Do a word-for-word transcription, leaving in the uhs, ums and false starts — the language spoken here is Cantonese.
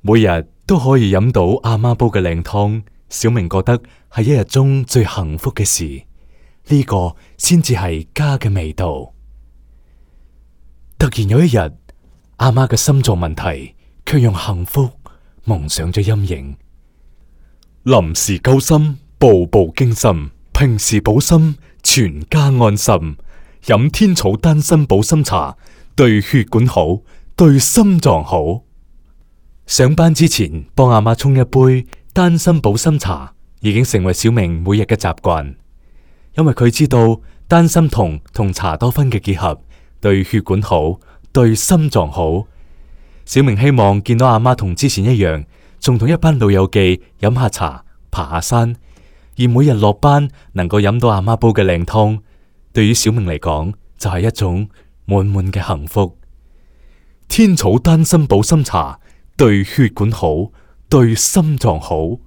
每日都可以飲到阿媽煲嘅靚湯，小明覺得係一日中最幸福嘅事。呢個先至係家嘅味道。突然有一日，阿媽嘅心臟問題卻讓幸福蒙上咗陰影。臨時救心，步步驚心，平時補心，全家安心。飲天草丹參保心茶，對血管好，對心臟好。上班之前幫阿媽沖一杯丹參保心茶，已經成為小明每日嘅習慣。因為佢知道丹參酮同茶多酚嘅結合，對血管好，對心臟好。小明希望見到阿媽同之前一樣，仲同一班老友記飲下茶，爬下山，而每日落班能夠飲到阿媽煲嘅靚湯，對於小明嚟講就係一種滿滿嘅幸福。天草丹參保心茶，對血管好，對心臟好。